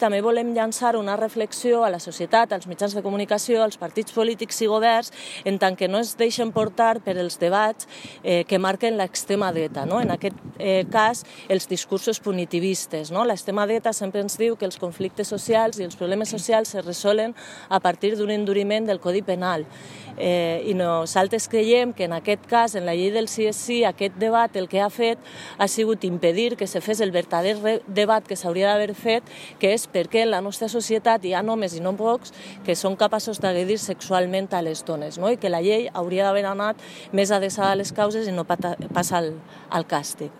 També volem llançar una reflexió a la societat, als mitjans de comunicació, als partits polítics i governs, en tant que no es deixen portar per els debats que marquen l'extrema dreta. En aquest cas, els discursos punitivistes. L'extrema dreta sempre ens diu que els conflictes socials i els problemes socials es resolen a partir d'un enduriment del Codi Penal. I nosaltres creiem que en aquest cas, en la llei del sí és sí, aquest debat el que ha fet ha sigut impedir que se fes el verdader debat que s'hauria d'haver fet, que és per què en la nostra societat hi ha homes i no pocs que són capaços d'agredir sexualment a les dones, i que la llei hauria d'haver anat més adreçada a les causes i no pas al càstig.